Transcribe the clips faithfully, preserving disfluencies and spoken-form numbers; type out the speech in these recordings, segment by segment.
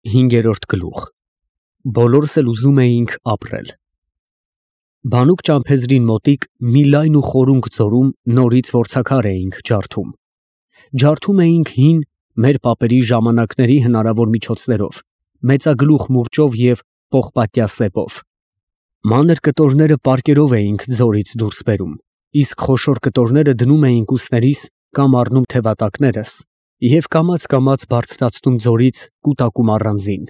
Հինգերորդ գլուխ Բոլորս էլ ուզում էինք ապրել։ Բանուկ ճամփեզրին մոտիկ մի լայն ու խորունկ ձորում նորից որցաքար էինք ջարդում։ Ջարդում էինք հին, մեր պապերի ժամանակների հնարավոր միջոցներով, մեծագլուխ մուրճով և պողպատյա սեպով։ Մանր կտորները պարկերով էինք ձորից դուրս բերում, իսկ խոշոր կտորները դնում էինք ուսներիս կամ առնում թևատակներս և կամաց֊կամաց բարձրացնում ձորից կուտակում առանձին։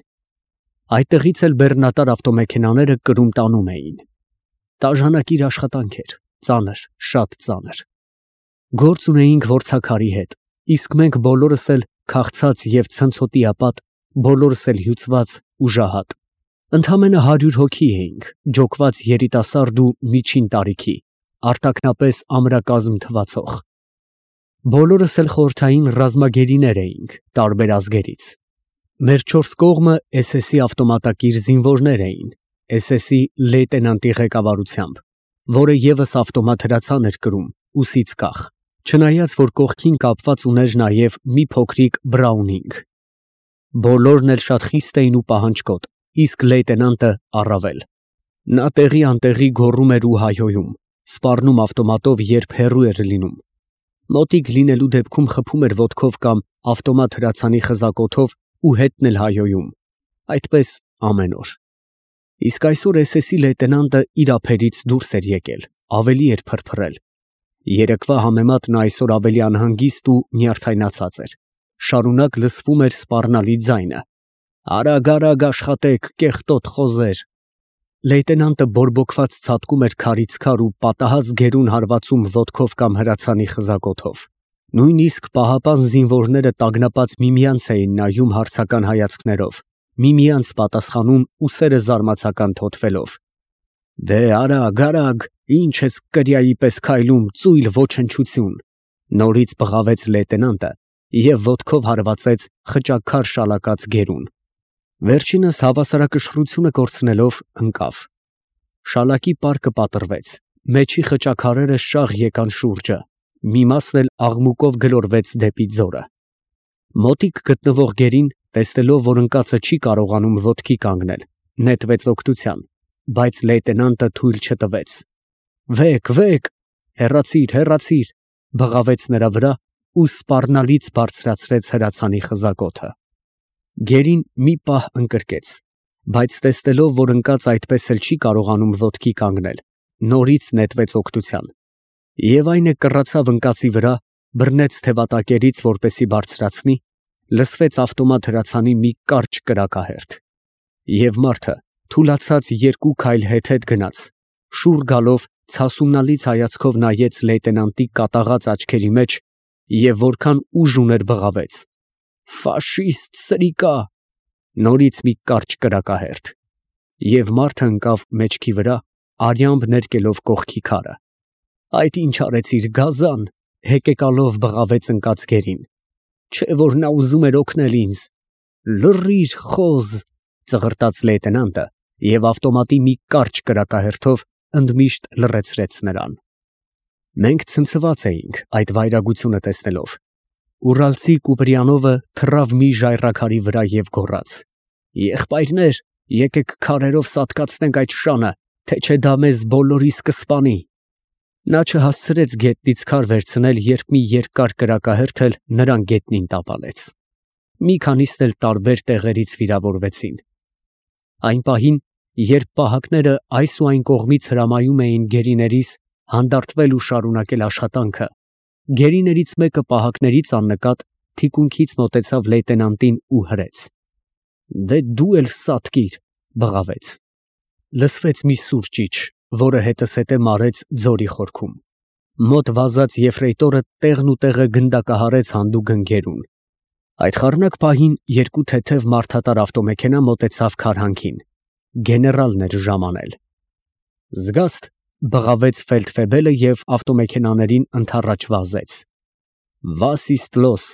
Այդտեղից էլ բեռնատար ավտոմեքենաները կրում տանում էին։ Տաժանակիր աշխատանք էր, ծանր, շատ ծանր։ Գործ ունեինք որցաքարի հետ, իսկ մենք բոլորս էլ քաղցած և ցնցոտիապատ, բոլորս էլ հյուծված ու ժահատ։ Ընդամենը հարյուր հոգի էինք, ջոկված երիտասարդ ու միջին տարիքի, արտաքնապես ամրակազմ թվացող։ Բոլորս էլ խորհրդային ռազմագերիներ էինք, տարբեր ազգերից։ Մեր չորս կողմը էս էսի ավտոմատակիր զինվորներ էին, էս էսի լեյտենանտի ղեկավարությամբ, որը ևս ավտոմատ հրացան էր կրում, ուսից կախ, չնայած որ կողքին կապված ուներ նաև մի փոքրիկ բրաունինգ։ Բոլորն էլ շատ խիստ էին ու պահանջկոտ, իսկ լեյտենանտը առավել։ Նա տեղի անտեղի գոռում էր ու հայհոյում, սպառնում ավտոմատով, երբ հեռու էր լինում։ Մոտիկ լինելու դեպքում խփում էր ոտքով կամ ավտոմատ հրացանի խզակոթով ու հետն էլ հայհոյում, այդպես ամեն օր։ Իսկ այսօր էս էսի լեյտենանտը իր ափերից դուրս էր եկել, ավելի էր փրփրել։ Երեկվա համեմատ նա այսօր ավելի անհանգիստ ու նյարդայնացած էր, շարունակ լսվում էր սպառնալի ձայնը. «Արագ, արագ աշխատեք, կեղտոտ խոզեր»։ Լեյտենանտը բորբոքված ցատկում էր քարից քար ու պատահած գերուն հարվածում ոտքով կամ հրացանի խզակոթով։ Նույնիսկ պահապան զինվորները տագնապած միմյանց էին նայում հարցական հայացքներով, միմյանց պատասխանում ուսերը զարմացական թոթվելով։ «Դե արագ, արագ, ինչ ես կրիայի պես քայլում, ծույլ ոչնչություն», նորից բղավեց լեյտենանտը և ոտքով հարվածեց խճաքար շալակած գերուն։ Վերջինս հավասարակշռությունը կորցնելով ընկավ։ Շալակի պարկը պատռվեց, մեջի խճաքարերը շաղ եկան շուրջը, մի մասն էլ աղմուկով գլորվեց դեպի ձորը։ Մոտիկ գտնվող գերին, տեսնելով, որ ընկածը չի կարողանում ոտքի կանգնել, նետվեց օգնության, բայց լեյտենանտը թույլ չտվեց։ «Վեկ, վեկ, հեռացիր, հեռացիր», բղավեց նրա վրա ու սպառնալից բարձրացրեց հրացանի խզակոթը։ Գերին մի պահ ընկրկեց, բայց տեսնելով, որ ընկածը այդպես էլ չի կարողանում ոտքի կանգնել, նորից նետվեց օգնության, և այն է կռացավ ընկածի վրա, բռնեց թևատակերից, որպեսզի բարձրացնի, լսվեց ավտոմատ հրացանի մի կարճ կրակահերթ, և մարդը թուլացած երկու քայլ հետ֊հետ գնաց, շուռ գալով ցասումնալից հայացքով նայեց լեյտենանտի կատաղած աչքերի մեջ և որքան ուժ ուներ բղավեց. «Ֆաշիստ սրիկա», նորից մի կարճ կրակահերթ, և մարդը ընկավ մեջքի վրա, արյամբ ներկելով կողքի քարը։ «Այդ ինչ արեցիր, գազան», հեկեկալով բղավեց ընկած գերին։ «Չէ որ նա ուզում էր օգնել ինձ»։ «Լռիր, խոզ», ծղրտաց լեյտենանտը և ավտոմատի մի կարճ կրակահերթով ընդմիշտ լռեցրեց նրան։ Մենք ցնցված էինք այդ վայրագությունը տեսնելով։ Ուրալցի Կուպրիանովը թռավ մի ժայռաքարի վրա և գոռաց. «Եղբայրներ, եկեք քարերով սատկացնենք այդ շանը, թե չէ դա մեզ բոլորիս կսպանի»։ Նա չհասցրեց գետնից քար վերցնել, երբ մի երկար կրակահերթ էլ նրան գետնին տապալեց։ Մի քանիսն էլ տարբեր տեղերից վիրավորվեցին։ Այն պահին, երբ պահակները այս ու այն կողմից հրամայում էին գերիներիս հանդարտվել ու շարունակել աշխատանքը, գերիներից մեկը պահակներից աննկատ թիկունքից մոտեցավ լեյտենանտին ու հրեց։ «Դե դու էլ սատկիր», բղավեց։ Լսվեց մի սուր ճիչ, որը հետզհետե մարեց ձորի խորքում։ Մոտ վազած եֆրեյտորը տեղն ու տեղը գնդակահարեց հանդուգն գերուն։ Այդ խառնակ պահին երկու թեթև մարդատար ավտոմեքենա մոտեցավ քարհանքին։ Գեներալն էր ժամանել։ «Զգաստ», բղավեց ֆելդֆեբելը և ավտոմեքենաներին ընդառաջ վազեց։ «Was ist los»։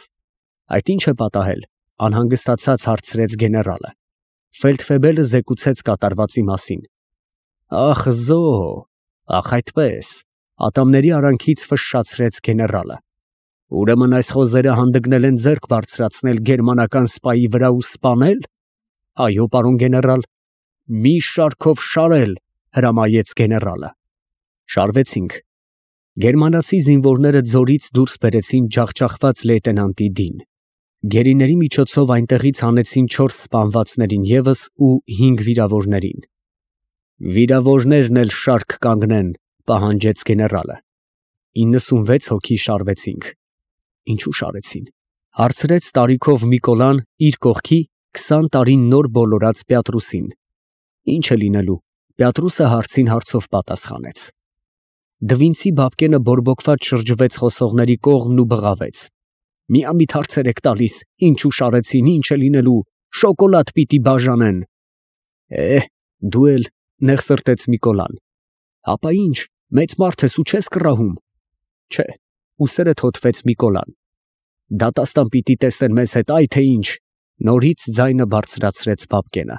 Այդ ի՞նչ է պատահել, անհանգստացած հարցրեց գեներալը։ Ֆելդֆեբելը զեկուցեց կատարվածի մասին։ «Ախ զո, ախ այդպես», ատամների արանքից ֆշշացրեց գեներալը։ «Ուրեմն այս խոզերը հանդգնել են ձեռք բարձրացնել գերմանական սպայի վրա ու սպանել»։ Այո, պարոն գեներալ։ Մի շարքով շարել, հրամայեց գեներալը։ Շարվեցինք։ Գերմանացի զինվորները ձորից դուրս բերեցին ջախջախված լեյտենանտի դին։ Գերիների միջոցով այնտեղից հանեցին չորս սպանվածներին ևս ու հինգ վիրավորներին։ Վիրավորներն էլ շարք կանգնեն, պահանջեց գեներալը։ իննսունվեց հոգի շարվեցինք։ Ինչու շարեցին, հարցրեց տարիքով Միկոլան իր կողքի քսան տարին նոր բոլորած Պյատրուսին։ Ինչ է լինելու, Պյատրուսը հարցին հարցով պատասխանեց։ Դվինցի Բաբկենը բորբոքված շրջվեց խոսողների կողմն ու բղավեց. Միամիտ հարցեր եք տալիս, ինչու շարեցին, ինչ է լինելու, շոկոլադ պիտի բաժանեն։ Է, դու էլ, նեղ սրտեց Միկոլան։ Հապա ինչ, մեծ մարդ ես ու չես կռահում։ Չէ, ուսերը թոթվեց Միկոլան։ Դատաստան պիտի տեսնեն մեզ հետ, այ թե ինչ, նորից ձայնը բարձրացրեց Բաբկենը։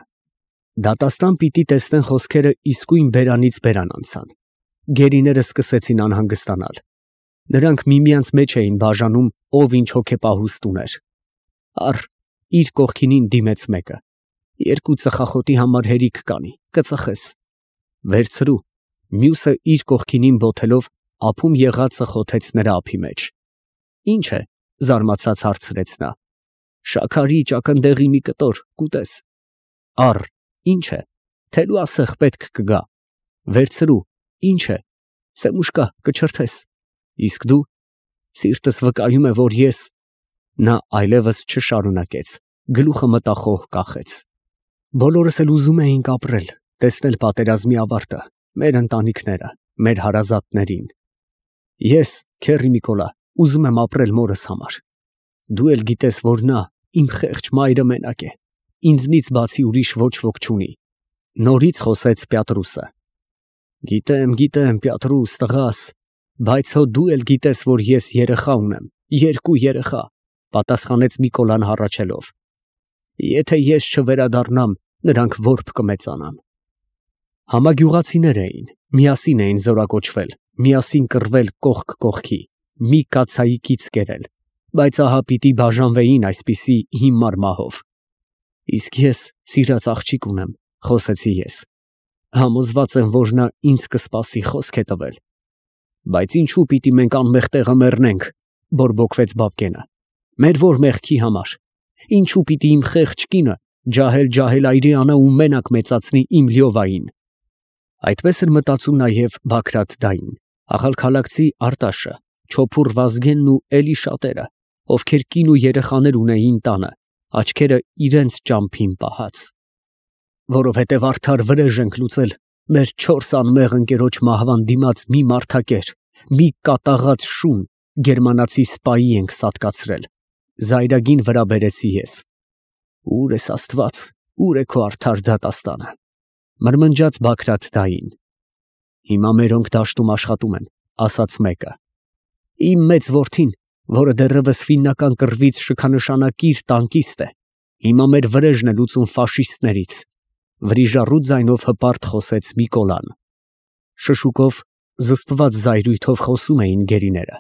Դատաստան պիտի տեսնեն խոսքերը իսկույն բերանից բերան անցան։ Գերիները սկսեցին անհանգստանալ։ Նրանք միմյանց մեջ էին բաժանում, ով ինչ հոգեպահուստ ուներ։ Առ, իր կողքինին դիմեց մեկը։ Երկու ծխախոտի համար հերիք կանի, կծխես։ Վերցրու, մյուսը իր կողքինին բոթելով ափում եղածը խոթեց նրա ափի մեջ։ Ինչ է, զարմացած հարցրեց նա։ Շաքարի ճակնդեղի մի կտոր, կուտես։ Առ, ինչ է, թելու ասեղ պետք կգա։ Վերցրու, ինչ է, սեմուշկա, կչրթես։ Իսկ դու, սիրտս վկայում է, որ ես… Նա այլևս չշարունակեց, գլուխը մտախոհ կախեց։ Բոլորս էլ ուզում էինք ապրել, տեսնել պատերազմի ավարտը, մեր ընտանիքները, մեր հարազատներին։ Ես, քեռի Միկոլա, ուզում եմ ապրել մորս համար։ Դու էլ գիտես, որ նա, իմ խեղճ մայրը մենակ է, ինձնից բացի ուրիշ ոչ ոք չունի։ Նորից խոսեց Պյատրուսը։ Գիտեմ, գիտեմ, Պյատրուս, տղաս, բայց հո դու էլ գիտես, որ ես երեխա ունեմ, երկու երեխա, պատասխանեց Միկոլան հառաչելով։ Եթե ես չվերադառնամ, նրանք որբ կմեծանան։ Համագյուղացիներ էին, միասին էին զորակոչվել, միասին կռվել կողք կողքի, մի կացայի կից կերել, բայց ահա պիտի բաժանվեին այսպիսի հիմար մահով։ Իսկ ես սիրած աղջիկ ունեմ, խոսեցի ես։ Համոզված եմ, որ նա ինձ կսպասի, խոսք է տվել։ Բայց ինչու պիտի մենք անմեղ տեղը մեռնենք, բորբոքվեց Բաբկենը։ Մեր որ մեղքի համար։ Ինչու պիտի իմ խեղճ կինը ջահել-ջահել այրի անա ու մենակ մեծացնի իմ Լյովային։ Այդպես էր մտածում նաև Բագրատ֊դային, ախալքալաքցի Արտաշը, Չոփուռ Վազգենն ու էլի շատերը, ովքեր կին ու երեխաներ ունեին տանը, աչքերը իրենց ճամփին պահած։ Որովհետև արդար վրեժ ենք լուծել մեր չորս անմեղ ընկերոջ մահվան դիմաց մի մարդակեր, մի կատաղած շուն գերմանացի սպայի ենք սատկացրել։ Զայրագին վրա բերեցի ես։ Ուր ես Աստված, ուր է քո արդար դատաստանը։ Մրմնջաց Բագրատ-դային։ Հիմա մերոնք դաշտում աշխատում են, ասաց մեկը։ Իմ մեծ որդին, որը դեռևս ֆիննական կռվից շքանշանակիր տանկիստ է, հիմա մեր վրեժն է լուծում ֆաշիստներից։ Վրիժառու ձայնով հպարտ խոսեց Միկոլան։ Շշուկով, զսպված զայրույթով խոսում էին գերիները։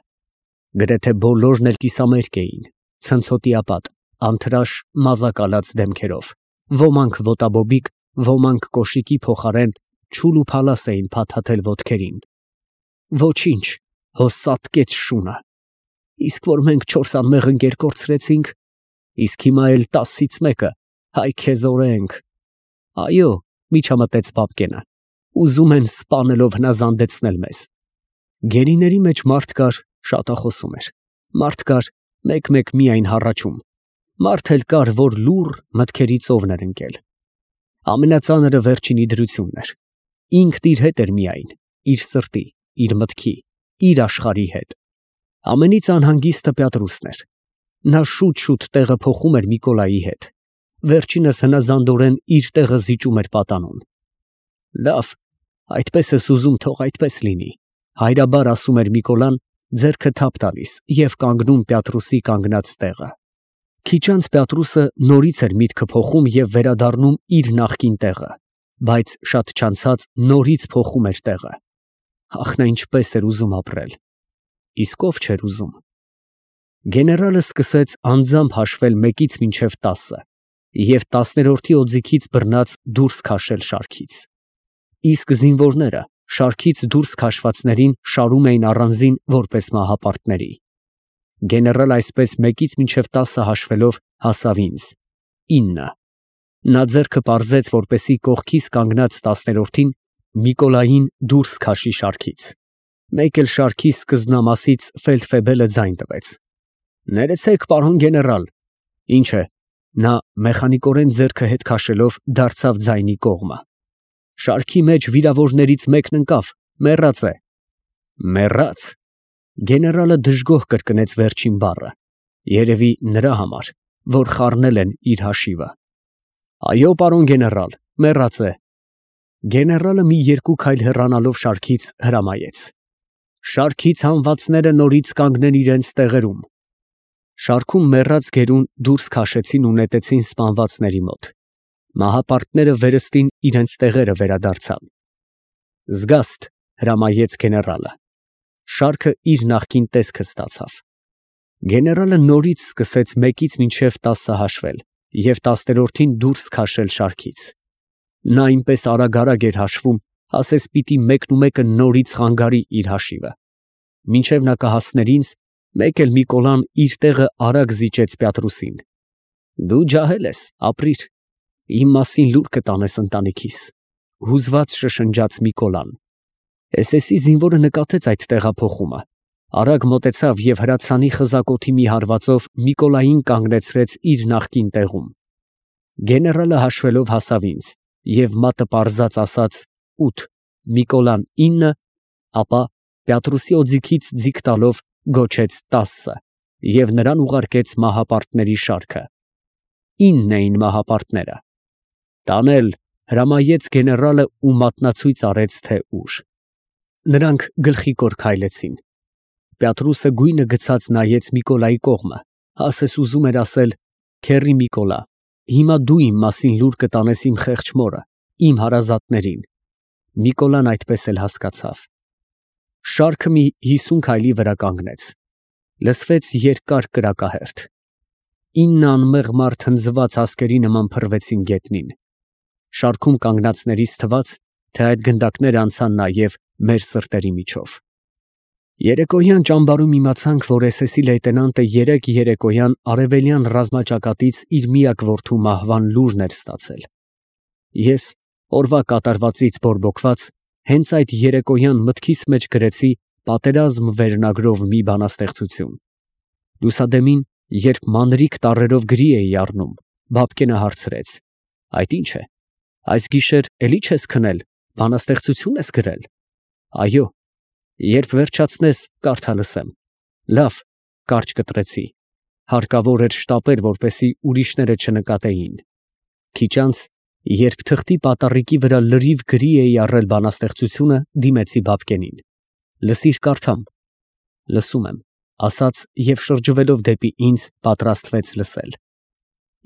Գրեթե բոլորն էլ կիսամերկ էին, ցնցոտիապատ, անթրաշ մազակալած դեմքերով, ոմանք ոտաբոբիկ, ոմանք կոշիկի փոխարեն չուլ ու փալաս էին փաթաթել ոտքերին։ Ոչինչ, հո սատկեց շունը։ Իսկ որ մենք չորս անմեղ ընկեր կորցրեցինք, իսկ հիմա էլ տասից մեկը հայ քեզ օրենք։ Այո, միջամտեց Բաբկենը, ուզում են սպանելով հնազանդեցնել մեզ։ Գերիների մեջ մարդ կար, շատախոսում էր, մարդ կար, մեկ-մեկ միայն հառաչում, մարդ էլ կար, որ լուռ մտքերի ծովն էր ընկել։ Ամենածանրը վերջինի դրությունն էր։ Ինքն իր հետ էր միայն, իր սրտի, իր մտքի, իր աշխարհի հետ։ Ամենից անհանգիստը Պյատրուսն էր։ Նա շուտ-շուտ տեղը փոխում էր Միկոլայի հետ։ Վերջինս հնազանդորեն իր տեղը զիջում էր պատանուն։ Լավ, այդպես ես ուզում, թող այդպես լինի, հայրաբար ասում էր Միկոլան, ձեռքը թափ տալիս և կանգնում Պյատրուսի կանգնած տեղը։ Քիչ անց Պյատրուսը նորից էր միտքը փոխում և վերադառնում իր նախկին տեղը, բայց շատ չանցած նորից փոխում էր տեղը։ Ախ, նա ինչպես էր ուզում ապրել։ Իսկ ով չէր ուզում։ Գեներալը սկսեց անձամբ հաշվել մեկից մինչև տասը։ և տասներորդի օձիքից բռնած դուրս քաշել շարքից։ Իսկ զինվորները շարքից դուրս քաշվածներին շարում էին առանձին որպես մահապարտների։ Գեներալը այսպես մեկից մինչև տասը հաշվելով հասավ ինձ՝ ինը։ Նա ձեռքը պարզեց, որպեսզի կողքիս կանգնած տասներորդին Միկոլային դուրս քաշի շարքից։ Մեկ էլ շարքի սկզբնամասից ֆելդֆեբելը ձայն տվեց. «Ներեցեք, պարոն գեներալ»։ Ինչ է։ Նա մեխանիկորեն ձեռքը հետ քաշելով դարձավ ձայնի կողմը։ Շարքի մեջ վիրավորներից մեկն ընկավ, մեռած է։ Մեռա՞ծ։ Գեներալը դժգոհ կրկնեց վերջին բառը, երևի նրա համար, որ խառնել են իր հաշիվը։ Այո, պարոն գեներալ, մեռած է։ Գեներալը մի երկու քայլ հեռանալով շարքից հրամայեց. «Շարքից հանվածները նորից կանգնեն իրենց տեղերում»։ Շարքում մեռած գերուն դուրս քաշեցին ու նետեցին սպանվածների մոտ։ Մահապարտները վերստին իրենց տեղերը վերադարձան։ «Զգաստ», հրամայեց գեներալը։ Շարքը իր նախկին տեսքը ստացավ։ Գեներալը նորից սկսեց մեկից մինչև տասը հաշվել և տասներորդին դուրս քաշել շարքից։ Նա այնպես արագ֊արագ էր հաշվում, ասես պիտի մեկնումեկը նորից խանգարի իր հաշիվը։ Մինչև նա կհասներ ինձ, մեկ էլ Միկոլան իր տեղը արագ զիջեց Պյատրուսին։ «Դու ջահել ես, ապրիր, իմ մասին լուր կտանես ընտանիքիս», հուզված շշնջաց Միկոլան։ Էս էսի զինվորը նկատեց այդ տեղափոխումը, արագ մոտեցավ և հրացանի խզակոթի մի հարվածով Միկոլային կանգնեցրեց իր նախկին տեղում։ Գեներալը հաշվելով հասավ ինձ և մատը պարզած ասաց ութ, Միկոլան ինը, ապա Պյատրուսի օձիքից ձիգ տալով գոչեց տասը և նրան ուղարկեց մահապարտների շարքը։ Ինն էին մահապարտները։ «Տանել», հրամայեց գեներալը ու մատնացույց արեց, թե ուր։ Նրանք գլխիկոր քայլեցին։ Պյատրուսը գույնը գցած նայեց Միկոլայի կողմը, ասես ուզում էր ասել. «Քեռի Միկոլա, հիմա դու իմ մասին լուր կտանես իմ խեղճ մորը, իմ հարազատներին»։ Միկոլան այդպես էլ հասկացավ։ Շարքը մի հիսուն քայլի վրա կանգնեց։ Լսվեց երկար կրակահերթ։ Ինը անմեղ մարդ հնձված ասկերի նման փռվեցին գետնին։ Շարքում կանգնածներից թվաց, թե այդ գնդակները անցան նաև մեր սրտերի միջով։ Երեկոյան ճամբարում իմացանք, որ էս էսի լեյտենանտը երեկ երեկոյան արևելյան ռազմաճակատից իր միակ որդու մահվան լուրն էր ստացել։ Ես, օրվա կատարվածից բորբոքված, հենց այդ երեկոյան մտքիս մեջ գրեցի «Պատերազմ» վերնագրով մի բանաստեղծություն։ Լուսադեմին, երբ մանրիկ տառերով գրի էի առնում, Բաբկենը հարցրեց. «Այդ ի՞նչ է, այս գիշեր էլի չես քնել, բանաստեղծություն ես գրել»։ «Այո, երբ վերջացնես, կարդա լսեմ»։ «Լավ», կարճ կտրեցի։ Հարկավոր էր շտապել, որպեսզի ուրիշները չնկատեին։ Քիչ անց, երբ թղթի պատառիկի վրա լրիվ գրի էի առել բանաստեղծությունը, դիմեցի Բաբկենին. «Լսիր, կարդամ»։ «Լսում եմ», ասաց և շրջվելով դեպի ինձ պատրաստվեց լսել։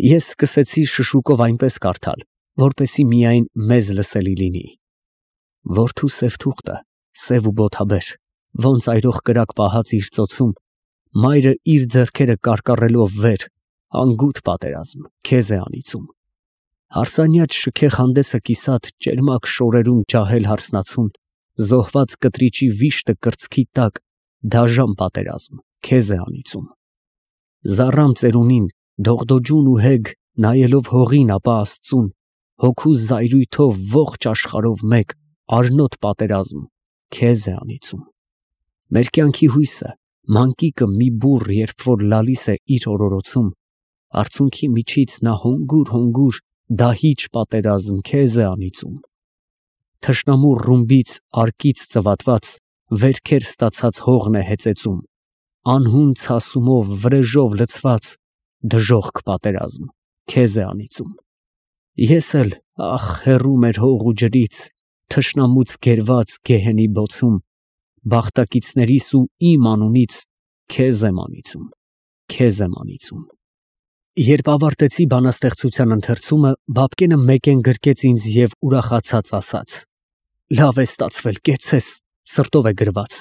Ես սկսեցի շշուկով այնպես կարդալ, որպեսզի միայն մեզ լսելի լինի. «Որդու սև թուղթը, սև ու բոթաբեր, ոնց այրող կրակ պահած իր ծոցում, մայրը իր ձեռքերը կարկառելով վեր, անգութ պատերազմ, քեզ է անիծում։ Հարսանյաց շքեղ հանդեսը կիսատ ճերմակ շորերում ջահել հարսնացուն, զոհված կտրիճի վիշտը կրծքի տակ, դաժան պատերազմ, քեզ է անիծում։ Զառամ ծերունին, դողդոջուն ու հեգ, նայելով հողին ապա աստծուն, հոգու զայրույթով ողջ աշխարհով մեկ, արնոտ պատերազմ, քեզ է անիծում։ Մեր կյանքի հույսը, մանկիկը մի բուռ, երբ որ լալիս է իր օրորոցում, արցունքի միջից նա հոնգուր֊հոնգուր դահիճ պատերազմ, քեզ է անիծում։ Թշնամու ռումբից արկից ծվատված, վերքեր ստացած հողն է հեծեծում, անհուն ցասումով, վրեժով լցված, դժոխք պատերազմ, քեզ է անիծում։ Ես էլ, ախ, հեռու մեր հող ու ջրից, թշնամուց գերված գեհենի բոցում, բախտակիցներիս ու իմ անունից, քեզ եմ անիծում, քեզ եմ անիծում։ Երբ ավարտեցի բանաստեղծության ընթերցումը, Բաբկենը մեկեն գրկեց ինձ և ուրախացած ասաց. «Լավ է ստացվել, կեցցես, սրտով է գրված»։